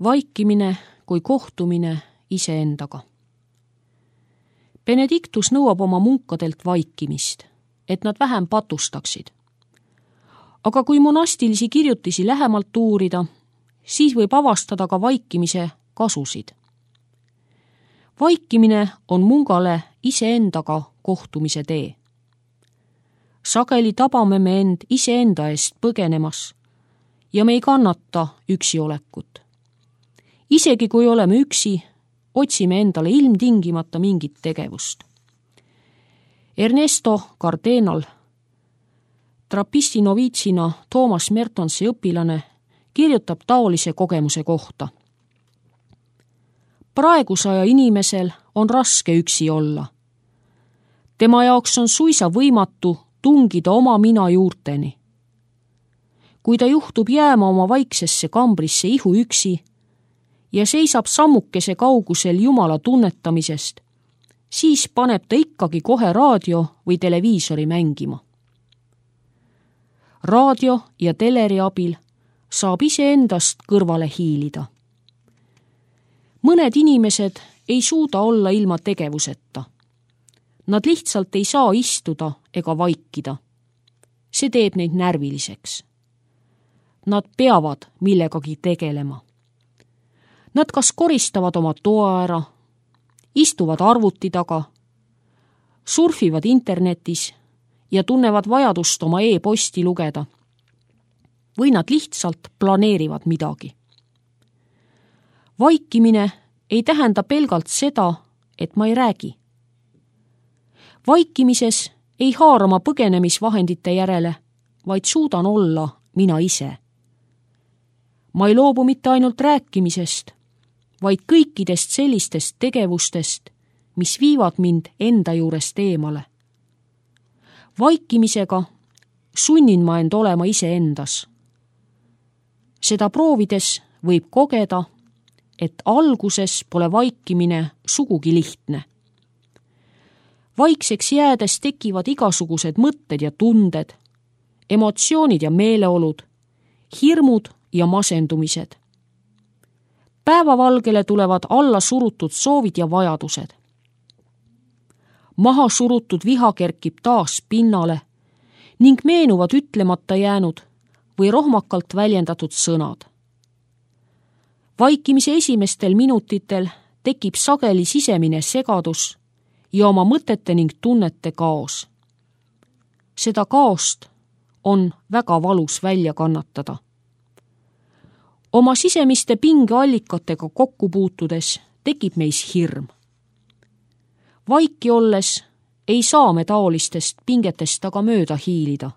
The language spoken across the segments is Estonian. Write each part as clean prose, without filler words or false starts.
Vaikimine kui kohtumine iseendaga. Benedictus nõuab oma munkadelt vaikimist, et nad vähem patustaksid. Aga kui monastilisi kirjutisi lähemalt uurida, siis võib avastada ka vaikimise kasusid. Vaikimine on mungale iseendaga kohtumise tee. Sageli tabame me end iseenda eest põgenemas ja me ei kannata üksiolekut. Isegi kui oleme üksi, otsime endale ilmtingimata mingit tegevust. Ernesto Cardenal, trapisti noviitsina Thomas Mertonsi õpilane, kirjutab taolise kogemuse kohta. Praeguse aja inimesel on raske üksi olla. Tema jaoks on suisa võimatu tungida oma mina juurteni. Kui ta juhtub jääma oma vaiksesse kambrisse ihu üksi ja seisab sammukese kaugusel Jumala tunnetamisest, siis paneb ta ikkagi kohe raadio või televiisori mängima. Raadio ja teleri abil saab iseendast kõrvale hiilida. Mõned inimesed ei suuda olla ilma tegevuseta. Nad lihtsalt ei saa istuda ega vaikida. See teeb neid närviliseks. Nad peavad millegagi tegelema. Nad kas koristavad oma toa ära, istuvad arvuti taga, surfivad internetis ja tunnevad vajadust oma e-posti lugeda. Või nad lihtsalt planeerivad midagi. Vaikimine ei tähenda pelgalt seda, et ma ei räägi. Vaikimises ei haara ma põgenemisvahendite järele, vaid suudan olla mina ise. Ma ei loobu mitte ainult rääkimisest, vaid kõikidest sellistest tegevustest, mis viivad mind enda juurest eemale. Vaikimisega sunnin ma end olema iseendas. Seda proovides võib kogeda, et alguses pole vaikimine sugugi lihtne. Vaikseks jäädes tekivad igasugused mõtted ja tunded, emotsioonid ja meeleolud, hirmud ja masendumised. Päevavalgele tulevad alla surutud soovid ja vajadused. Maha surutud viha kerkib taas pinnale ning meenuvad ütlemata jäänud või rohmakalt väljendatud sõnad. Vaikimise esimestel minutitel tekib sageli sisemine segadus ja oma mõtete ning tunnete kaos. Seda kaost on väga valus välja kannatada. Oma sisemiste pingeallikatega kokku puutudes tekib meis hirm. Vaiki olles ei saa me taolistest pingetest aga mööda hiilida.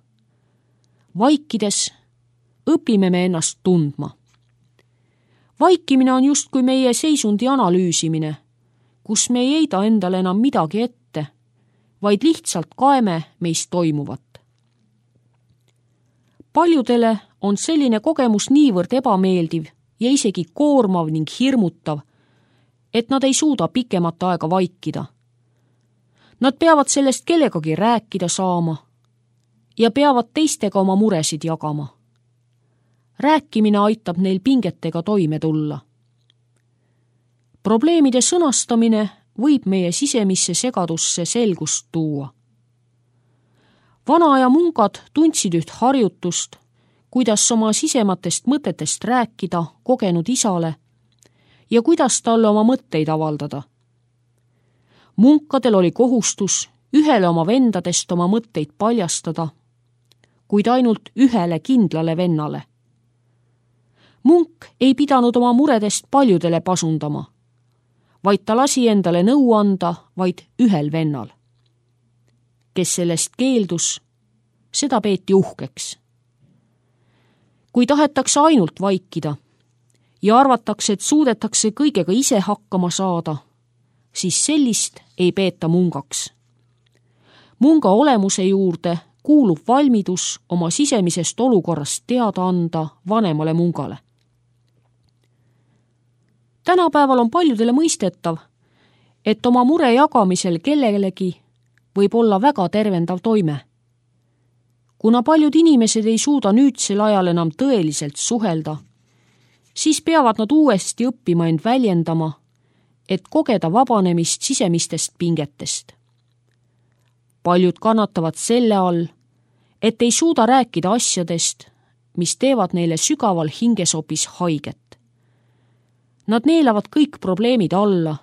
Vaikides õpime me ennast tundma. Vaikimine on justkui meie seisundi analüüsimine, kus me ei heida endale enam midagi ette, vaid lihtsalt kaeme meist toimuvat. Paljudele on selline kogemus niivõrd ebameeldiv ja isegi koormav ning hirmutav, et nad ei suuda pikemat aega vaikida. Nad peavad sellest kellegagi rääkida saama ja peavad teistega oma muresid jagama. Rääkimine aitab neil pingetega toime tulla. Probleemide sõnastamine võib meie sisemisse segadusse selgust tuua. Vanaaja mungad tundsid üht harjutust, kuidas oma sisematest mõtetest rääkida kogenud isale ja kuidas talle oma mõtteid avaldada. Munkadel oli kohustus ühele oma vendadest oma mõtteid paljastada, kuid ainult ühele kindlale vennale. Munk ei pidanud oma muredest paljudele pasundama, vaid ta lasi endale nõu anda vaid ühel vennal. Kes sellest keeldus, seda peeti uhkeks. Kui tahetakse ainult vaikida ja arvatakse, et suudetakse kõigega ise hakkama saada, siis sellist ei peeta mungaks. Munga olemuse juurde kuulub valmidus oma sisemisest olukorrast teada anda vanemale mungale. Tänapäeval on paljudele mõistetav, et oma mure jagamisel kellelegi võib olla väga tervendav toime. Kuna paljud inimesed ei suuda nüüdsel ajal enam tõeliselt suhelda, siis peavad nad uuesti õppima end väljendama, et kogeda vabanemist sisemistest pingetest. Paljud kannatavad selle all, et ei suuda rääkida asjadest, mis teevad neile sügaval hinges hoopis haiget. Nad neelavad kõik probleemid alla,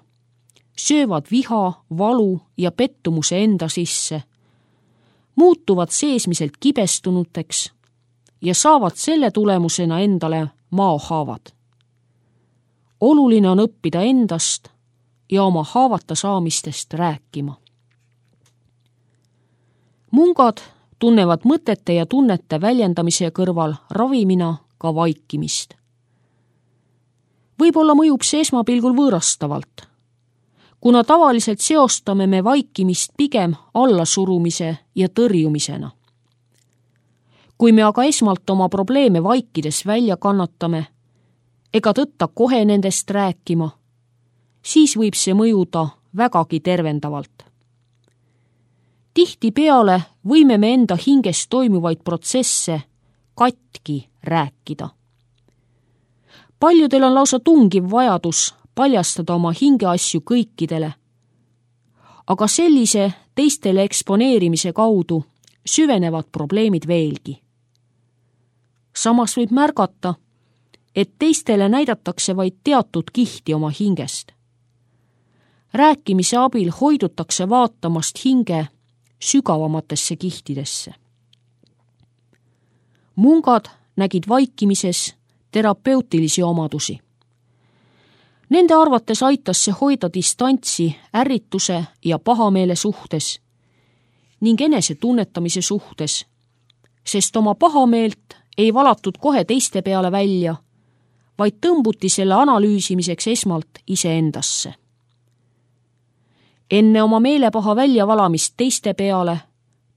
söövad viha, valu ja pettumuse enda sisse, muutuvad seesmiselt kibestunuteks ja saavad selle tulemusena endale maohaavad. Oluline on õppida endast ja oma haavata saamistest rääkima. Mungad tunnevad mõtete ja tunnete väljendamise kõrval ravimina ka vaikimist. Võib-olla mõjub see esmapilgul võõrastavalt, kuna tavaliselt seostame me vaikimist pigem allasurumise ja tõrjumisena. Kui me aga esmalt oma probleeme vaikides välja kannatame, ega tõtta kohe nendest rääkima, siis võib see mõjuda vägagi tervendavalt. Tihtipeale võime me enda hinges toimuvaid protsesse katki rääkida. Paljudel on lausa tungiv vajadus paljastada oma hingeasju kõikidele, aga sellise teistele eksponeerimise kaudu süvenevad probleemid veelgi. Samas võib märgata, et teistele näidatakse vaid teatud kihti oma hingest. Rääkimise abil hoidutakse vaatamast hinge sügavamatesse kihtidesse. Mungad nägid vaikimises terapeutilisi omadusi. Nende arvates aitas see hoida distantsi ärrituse ja pahameele suhtes ning enese tunnetamise suhtes, sest oma pahameelt ei valatud kohe teiste peale välja, vaid tõmbuti selle analüüsimiseks esmalt iseendasse. Enne oma meelepaha väljavalamist teiste peale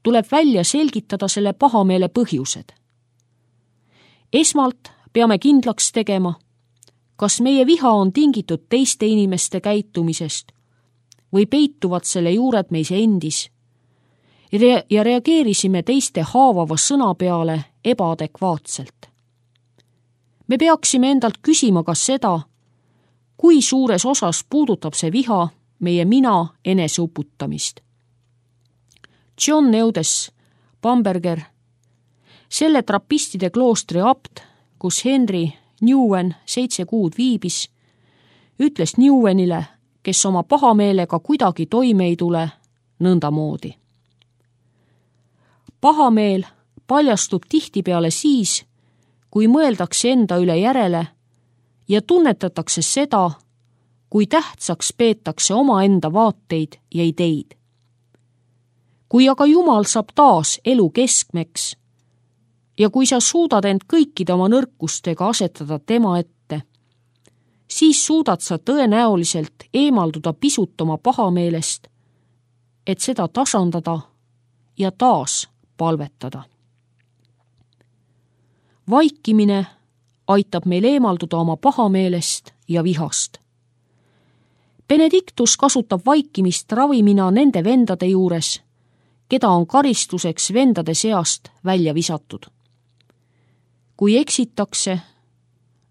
tuleb välja selgitada selle pahameele põhjused. Esmalt peame kindlaks tegema, kas meie viha on tingitud teiste inimeste käitumisest või peituvad selle juured meis endis ja reageerisime teiste haavava sõna peale ebaadekvaatselt. Me peaksime endalt küsima ka seda, kui suures osas puudutab see viha meie mina eneseuputamist. John Eudes Bamberger, selle trapistide kloostri abt, kus Henry Newen 7 kuud viibis, ütles Newenile, kes oma pahameelega kuidagi toime ei tule, nõndamoodi. Pahameel paljastub tihtipeale siis, kui mõeldakse enda üle järele ja tunnetatakse seda, kui tähtsaks peetakse omaenda vaateid ja ideid. Kui aga Jumal saab taas elu keskmeks ja kui sa suudad end kõikide oma nõrkustega asetada tema ette, siis suudad sa tõenäoliselt eemalduda pisut oma pahameelest, et seda tasandada ja taas palvetada. Vaikimine aitab meil eemalduda oma pahameelest ja vihast. Benedictus kasutab vaikimist ravimina nende vendade juures, keda on karistuseks vendade seast välja visatud. Kui eksitakse,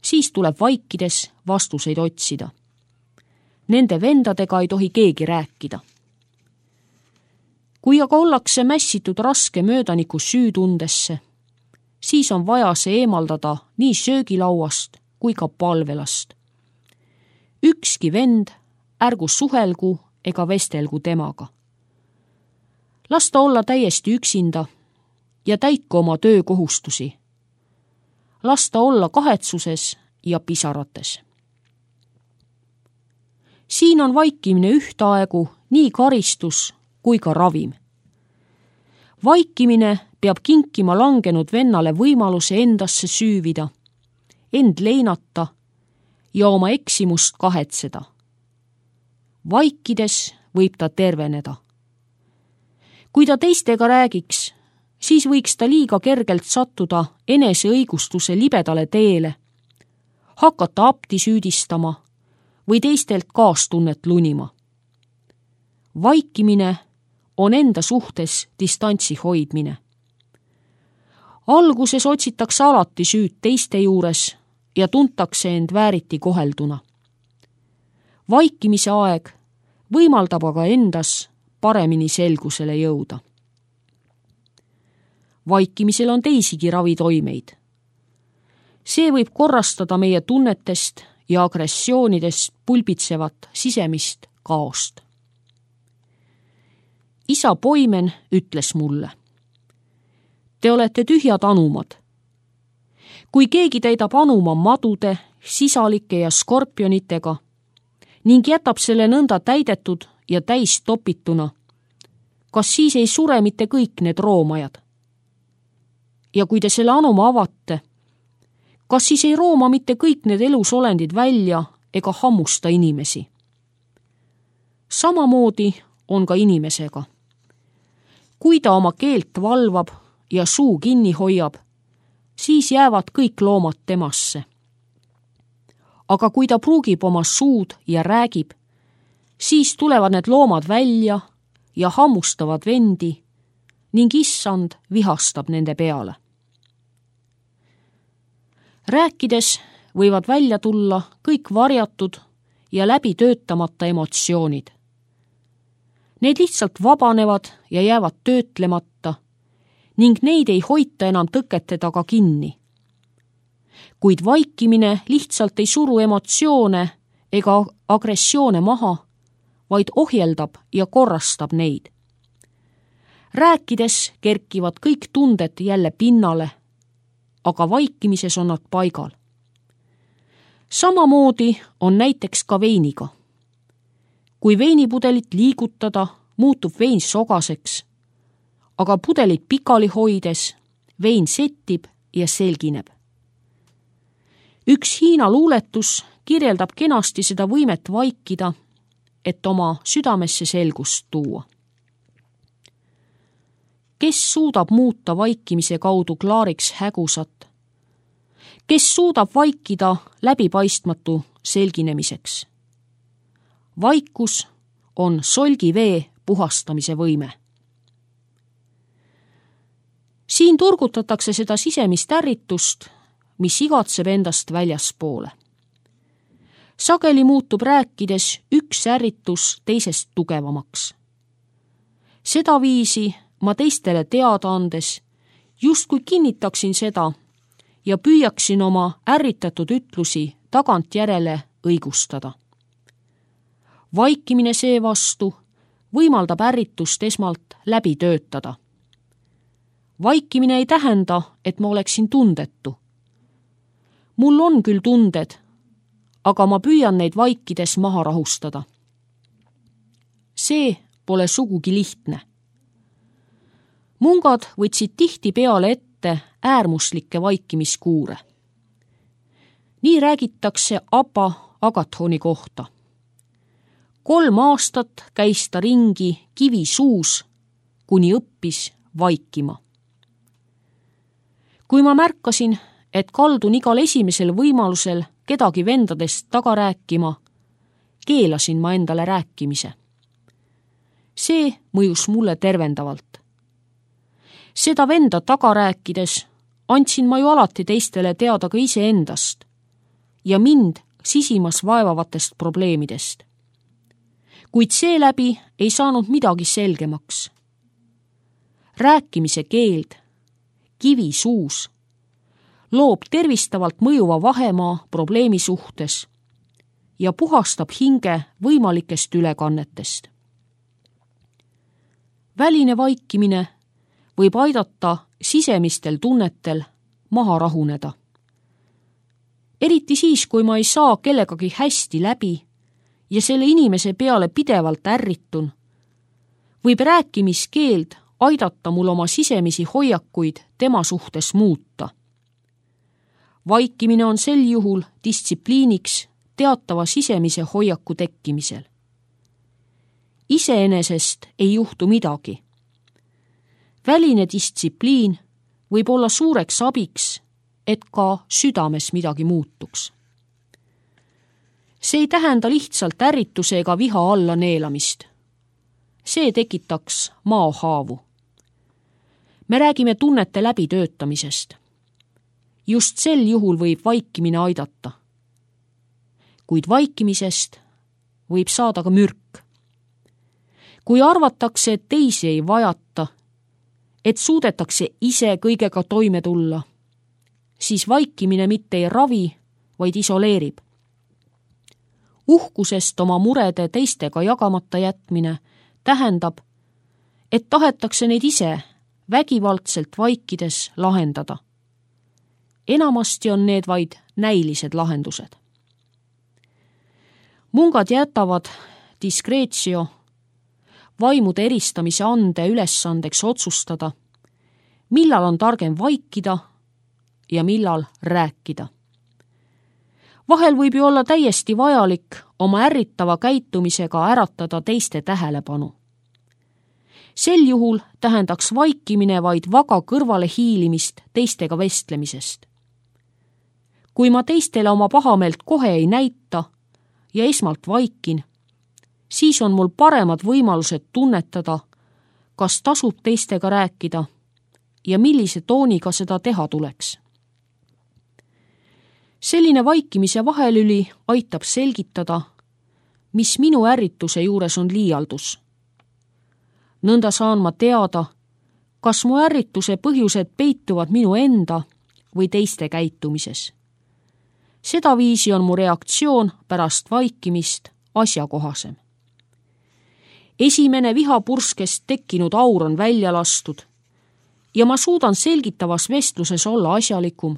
siis tuleb vaikides vastuseid otsida. Nende vendadega ei tohi keegi rääkida. Kui aga ollakse mässitud raske möödaniku süütundesse, siis on vaja see eemaldada nii söögilauast kui ka palvelast. Ükski vend ärgu suhelgu ega vestelgu temaga. Las ta olla täiesti üksinda ja täitku oma töökohustusi. Las ta olla kahetsuses ja pisarates. Siin on vaikimine ühtaegu nii karistus kui ka ravim. Vaikimine peab kinkima langenud vennale võimaluse endasse süüvida, end leinata ja oma eksimust kahetseda. Vaikides võib ta terveneda. Kui ta teistega räägiks, siis võiks ta liiga kergelt sattuda eneseõigustuse libedale teele, hakata apti süüdistama või teistelt kaastunnet lunima. Vaikimine on enda suhtes distantsi hoidmine. Alguses otsitakse alati süüd teiste juures ja tuntakse end vääriti kohelduna. Vaikimise aeg võimaldab aga endas paremini selgusele jõuda. Vaikimisel on teisigi ravitoimeid. See võib korrastada meie tunnetest ja agressioonidest pulbitsevat sisemist kaost. Isa Poimen ütles mulle: te olete tühjad anumad. Kui keegi täidab anuma madude, sisalike ja skorpionitega ning jätab selle nõnda täidetud ja täis topituna, kas siis ei sure mitte kõik need roomajad? Ja kui te selle anuma avate, kas siis ei rooma mitte kõik need elusolendid välja ega hammusta inimesi? Samamoodi on ka inimesega. Kui ta oma keelt valvab ja suu kinni hoiab, siis jäävad kõik loomad temasse. Aga kui ta pruugib oma suud ja räägib, siis tulevad need loomad välja ja hammustavad vendi ning issand vihastab nende peale. Rääkides võivad välja tulla kõik varjatud ja läbi töötamata emotsioonid. Need lihtsalt vabanevad ja jäävad töötlemata ning neid ei hoita enam tõkete taga kinni. Kuid vaikimine lihtsalt ei suru emotsioone ega agressioone maha, vaid ohjeldab ja korrastab neid. Rääkides kerkivad kõik tunded jälle pinnale, aga vaikimises on nad paigal. Samamoodi on näiteks ka veiniga. Kui veinipudelit liigutada, muutub vein sogaseks, aga pudelit pikali hoides vein settib ja selgineb. Üks Hiina luuletus kirjeldab kenasti seda võimet vaikida, et oma südamesse selgust tuua. Kes suudab muuta vaikimise kaudu klaariks hägusat? Kes suudab vaikida läbipaistmatu selginemiseks? Vaikus on solgivee puhastamise võime. Siin turgutatakse seda sisemist ärritust, mis igatseb endast väljaspoole. Sageli muutub rääkides üks ärritus teisest tugevamaks. Seda viisi ma teistele teada andes justkui kinnitaksin seda ja püüaksin oma ärritatud ütlusi tagantjärele õigustada. Vaikimine seevastu võimaldab ärritust esmalt läbi töötada. Vaikimine ei tähenda, et ma oleksin tundetu. Mul on küll tunded, aga ma püüan neid vaikides maha rahustada. See pole sugugi lihtne. Mungad võtsid tihti peale ette äärmuslikke vaikimiskuure. Nii räägitakse Abba Agathoni kohta. 3 aastat käis ta ringi kivi suus, kuni õppis vaikima. Kui ma märkasin, et kaldun igal esimesel võimalusel kedagi vendadest taga rääkima, keelasin ma endale rääkimise. See mõjus mulle tervendavalt. Seda venda taga rääkides andsin ma ju alati teistele teada ka iseendast ja mind sisimas vaevavatest probleemidest. Kuid seeläbi ei saanud midagi selgemaks. Rääkimise keeld, kivi suus, loob tervistavalt mõjuva vahemaa probleemi suhtes ja puhastab hinge võimalikest ülekannetest. Väline vaikimine võib aidata sisemistel tunnetel maha rahuneda. Eriti siis, kui ma ei saa kellegagi hästi läbi ja selle inimese peale pidevalt ärritun, võib rääkimiskeeld aidata mul oma sisemisi hoiakuid tema suhtes muuta. Vaikimine on sel juhul distsipliiniks teatava sisemise hoiaku tekkimisel. Iseenesest ei juhtu midagi. Väline distsipliin võib olla suureks abiks, et ka südames midagi muutuks. See ei tähenda lihtsalt ärrituse ega viha alla neelamist. See tekitaks maohaavu. Me räägime tunnete läbitöötamisest. Just sel juhul võib vaikimine aidata. Kuid vaikimisest võib saada ka mürk. Kui arvatakse, et teisi ei vajata, et suudetakse ise kõigega toime tulla, siis vaikimine mitte ei ravi, vaid isoleerib. Uhkusest oma murede teistega jagamata jätmine tähendab, et tahetakse neid ise vägivaldselt vaikides lahendada. Enamasti on need vaid näilised lahendused. Mungad jätavad diskreetsio vaimude eristamise ande ülesandeks otsustada, millal on targem vaikida ja millal rääkida. Vahel võib ju olla täiesti vajalik oma ärritava käitumisega äratada teiste tähelepanu. Sel juhul tähendaks vaikimine vaid vaga kõrvale hiilimist teistega vestlemisest. Kui ma teistele oma pahameelt kohe ei näita ja esmalt vaikin, siis on mul paremad võimalused tunnetada, kas tasub teistega rääkida ja millise tooniga seda teha tuleks. Selline vaikimise vahelüli aitab selgitada, mis minu ärrituse juures on liialdus. Nõnda saan ma teada, kas mu ärrituse põhjused peituvad minu enda või teiste käitumises. Sedaviisi on mu reaktsioon pärast vaikimist asjakohasem. Esimene vihapurskest tekkinud aur on välja lastud ja ma suudan selgitavas vestluses olla asjalikum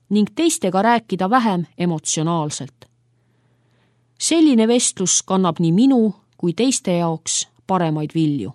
ning teistega rääkida vähem emotsionaalselt. Selline vestlus kannab nii minu kui teiste jaoks paremaid vilju.